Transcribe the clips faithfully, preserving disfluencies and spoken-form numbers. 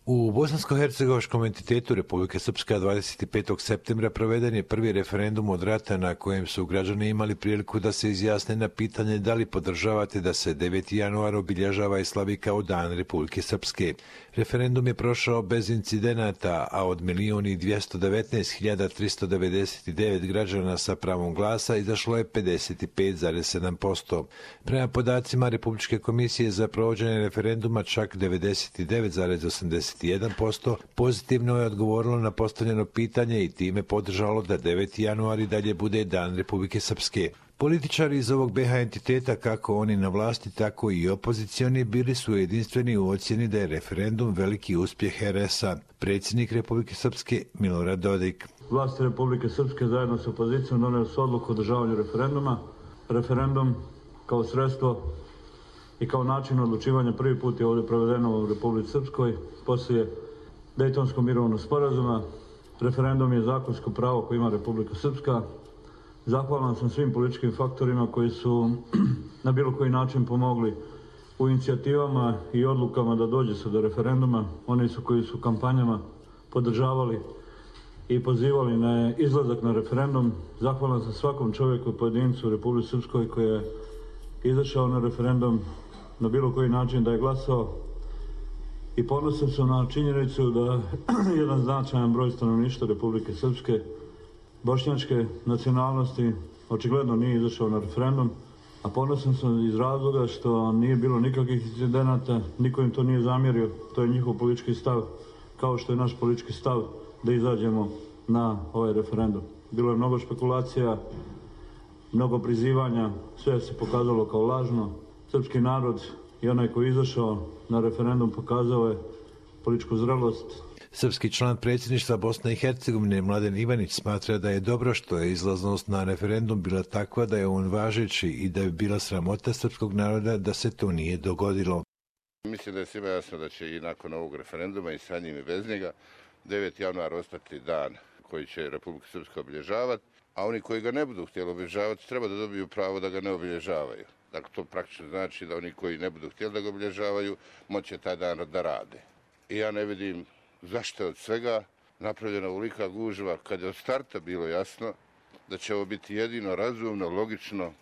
U bosansko-hercegovačkom entitetu Republike Srpska dvadeset petog septembra proveden je prvi referendum od rata na kojem su građani imali priliku da se izjasne na pitanje da li podržavate da se deveti januar obilježava i slavi kao Dan Republike Srpske. Referendum je prošao bez incidenata, a od milion i dvjesto devetnaest hiljada tristo devedeset devet građana sa pravom glasa izašlo je pedeset pet zarez sedam posto. Prema podacima Republičke komisije za provođenje referenduma čak devedeset devet zarez osamdeset jedan posto pozitivno je odgovorilo na postavljeno pitanje i time podržalo da deveti januar i dalje bude Dan Republike Srpske. Političari iz ovog be ha entiteta, kako oni na vlasti, tako i opozicioni, bili su jedinstveni u ocjeni da je referendum veliki uspjeh er es a. Predsjednik Republike Srpske Milorad Dodik. Vlasti Republike Srpske zajedno sa opozicijom donijeli su odluku o održavanju referenduma. Referendum kao sredstvo i kao način odlučivanja prvi put je ovdje provedeno u Republici Srpskoj poslije Dejtonskog mirovnog sporazuma. Referendum je zakonsko pravo koje ima Republika Srpska. Zahvalan sam svim političkim faktorima koji su na bilo koji način pomogli u inicijativama i odlukama da dođe se do referenduma. Oni su koji su kampanjama podržavali i pozivali na izlazak na referendum. Zahvalan sam svakom čovjeku i pojedincu u Republici Srpskoj koji je izašao na referendum na bilo koji način da je glasao. I ponosan sam na činjenicu da jedan značajan broj stanovništva Republike Srpske bošnjačke nacionalnosti očigledno nije izašao na referendum, a ponosan sam iz razloga što nije bilo nikakvih incidenata, niko im to nije zamjerio, to je njihov politički stav, kao što je naš politički stav da izađemo na ovaj referendum. Bilo je mnogo špekulacija, mnogo prizivanja, sve se pokazalo kao lažno. Srpski narod i onaj koji je izašao na referendum pokazao je političku zrelost. Srpski član predsjedništva Bosne i Hercegovine Mladen Ivanić smatra da je dobro što je izlaznost na referendum bila takva da je on važeći i da je bila sramota srpskog naroda da se to nije dogodilo. Mislim da je svima jasno da će i nakon ovog referenduma i sa njim i bez njega deveti januar ostati dan koji će Republika Srpska obilježavati, a oni koji ga ne budu htjeli obilježavati treba da dobiju pravo da ga ne obilježavaju. Dakle, to praktično znači da oni koji ne budu htjeli da ga obilježavaju moće taj dan da rade. I ja ne vidim zašto je od svega napravljena ovolika gužva kad je od starta bilo jasno da će ovo biti jedino razumno, logično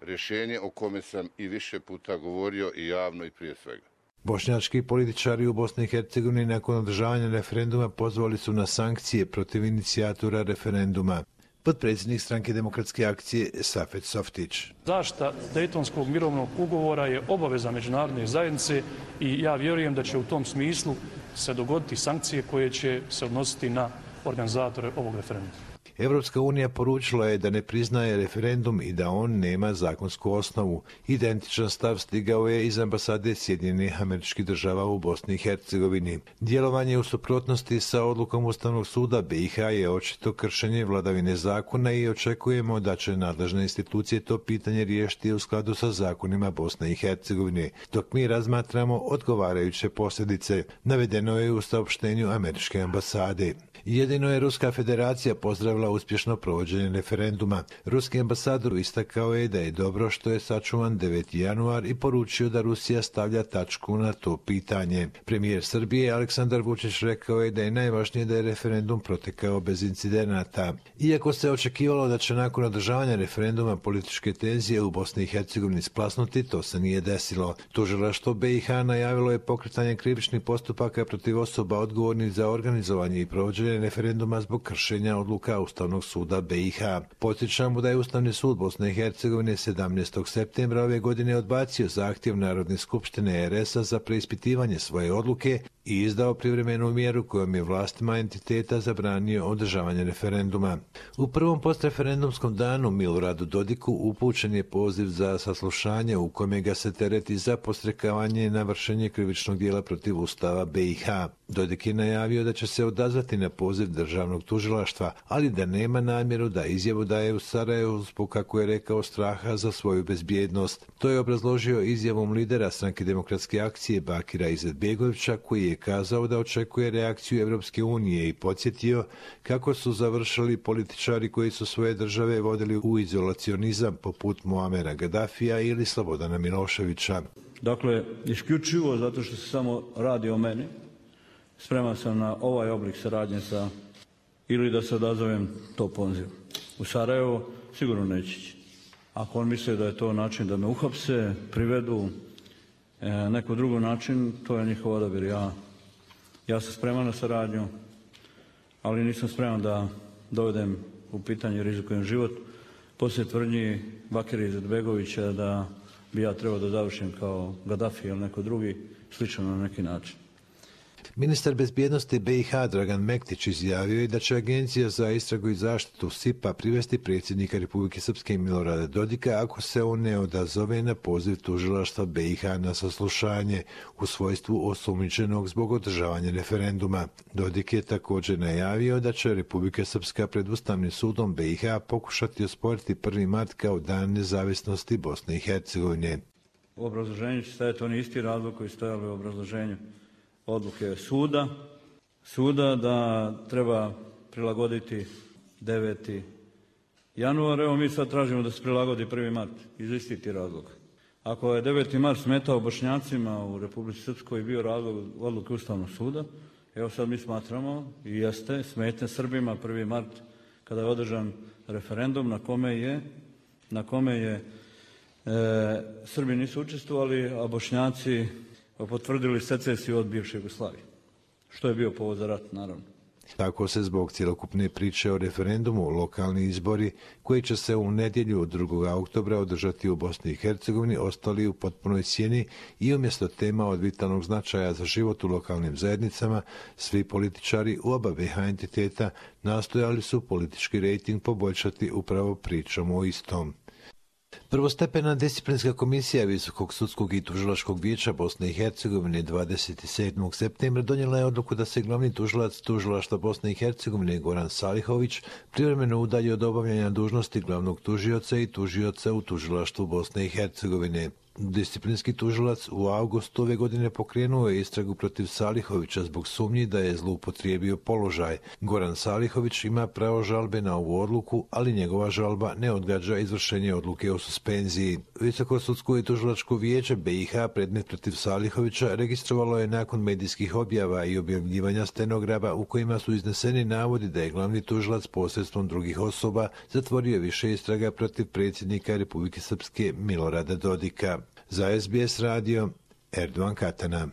rješenje o kome sam i više puta govorio i javno i prije svega. Bošnjački političari u Bosni i Hercegovini nakon održavanja referenduma pozvali su na sankcije protiv inicijatora referenduma. Potpredsjednik Stranke demokratske akcije Safet Softić. Zaštita Dejtonskog mirovnog ugovora je obaveza međunarodne zajednice i ja vjerujem da će u tom smislu se dogoditi sankcije koje će se odnositi na organizatore ovog referenduma. Evropska unija poručila je da ne priznaje referendum i da on nema zakonsku osnovu. Identičan stav stigao je iz ambasade Sjedinjenih Američkih Država u Bosni i Hercegovini. Djelovanje u suprotnosti sa odlukom Ustavnog suda be i ha je očito kršenje vladavine zakona i očekujemo da će nadležne institucije to pitanje riješiti u skladu sa zakonima Bosne i Hercegovine, dok mi razmatramo odgovarajuće posljedice, navedeno je u saopštenju Američke ambasade. Jedino je Ruska federacija pozdravila uspješno provođenje referenduma. Ruski ambasador istakao je da je dobro što je sačuvan deveti januar i poručio da Rusija stavlja tačku na to pitanje. Premijer Srbije Aleksandar Vučić rekao je da je najvažnije da je referendum protekao bez incidenata. Iako se očekivalo da će nakon održavanja referenduma političke tenzije u Bosni i Hercegovini splasnuti, to se nije desilo. Tužilaštvo be i ha najavilo je pokretanje krivičnih postupaka protiv osoba odgovornih za organizovanje i provođenje referenduma zbog kršenja odluka Ustavnog suda be i ha. Podsjećamo da je Ustavni sud Bosne i Hercegovine sedamnaestog septembra ove godine odbacio zahtjev Narodne skupštine er es a za preispitivanje svoje odluke i izdao privremenu mjeru kojom je vlastima entiteta zabranio održavanje referenduma. U prvom postreferendumskom danu Miloradu Dodiku upućen je poziv za saslušanje u kome ga se tereti za podstrekavanje na vršenje krivičnog djela protiv Ustava be i ha. Dodik je najavio da će se odazvati na poziv državnog tužilaštva, ali da nema namjeru da izjavu daje u Sarajevu zbog, kako je rekao, straha za svoju bezbjednost. To je obrazložio izjavom lidera Stranke demokratske akcije Bakira Izetbegovića, koji je kazao da očekuje reakciju Evropske unije i podsjetio kako su završili političari koji su svoje države vodili u izolacionizam poput Muamera Gadafija ili Slobodana Miloševića. Dakle, isključivo zato što se samo radi o meni, spreman sam na ovaj oblik saradnje sa, ili da se odazovem to pozivu. U Sarajevo sigurno neće ići. Ako on misli da je to način da me uhapse, privedu, e, neko drugi način, to je njihov odabir. Ja, ja sam spreman na saradnju, ali nisam spreman da dovedem u pitanje i rizikujem život. Poslije tvrdnji Bakira Izetbegovića da bi ja trebao da završim kao Gaddafi ili neko drugi, slično na neki način. Ministar bezbjednosti be i ha Dragan Mektić izjavio je da će Agencija za istragu i zaštitu S I P-a privesti predsjednika Republike Srpske Milorada Dodika ako se on ne odazove na poziv tužilaštva be i ha na saslušanje u svojstvu osumnjičenog zbog održavanja referenduma. Dodik je također najavio da će Republika Srpska pred Ustavnim sudom be i ha pokušati osporiti prvi mart kao dan nezavisnosti Bosne i Hercegovine. U obrazloženju će stajati oni isti razlog koji stojali u obrazloženju odluke suda, suda da treba prilagoditi deveti januar. Evo mi sad tražimo da se prilagodi prvi mart iz istih razloga. Ako je deveti mart smetao Bošnjacima u Republici Srpskoj bio razlog odluke Ustavnog suda, evo sad mi smatramo i jeste smetne Srbima prvi mart kada je održan referendum na kome je, na kome je e, Srbi nisu učestvovali, a Bošnjaci potvrdili secesiju od bivše Jugoslavije, što je bio povod za rat, naravno. Tako se zbog cjelokupne priče o referendumu lokalni izbori koji će se u nedjelju drugog oktobra održati u Bosni i Hercegovini ostali u potpunoj sjeni i umjesto tema od vitalnog značaja za život u lokalnim zajednicama, svi političari u oba be i ha entiteta nastojali su politički rejting poboljšati upravo pričom o istom. Prvostepena disciplinska komisija Visokog sudskog i tužilačkog vijeća Bosne i Hercegovine dvadeset sedmog septembra donijela je odluku da se glavni tužilac tužilaštva Bosne i Hercegovine Goran Salihović privremeno udalji od obavljanja dužnosti glavnog tužioca i tužioca u tužilaštvu Bosne i Hercegovine. Disciplinski tužilac u avgustu ove godine pokrenuo je istragu protiv Salihovića zbog sumnji da je zloupotrijebio položaj. Goran Salihović ima pravo žalbe na ovu odluku, ali njegova žalba ne odgađa izvršenje odluke o suspenziji. Visoko sudsko i tužilačko vijeće be i ha predmet protiv Salihovića registrovalo je nakon medijskih objava i objavljivanja stenograma u kojima su izneseni navodi da je glavni tužilac posredstvom drugih osoba zatvorio više istraga protiv predsjednika Republike Srpske Milorada Dodika. Za es be es radio, Erdovan Katana.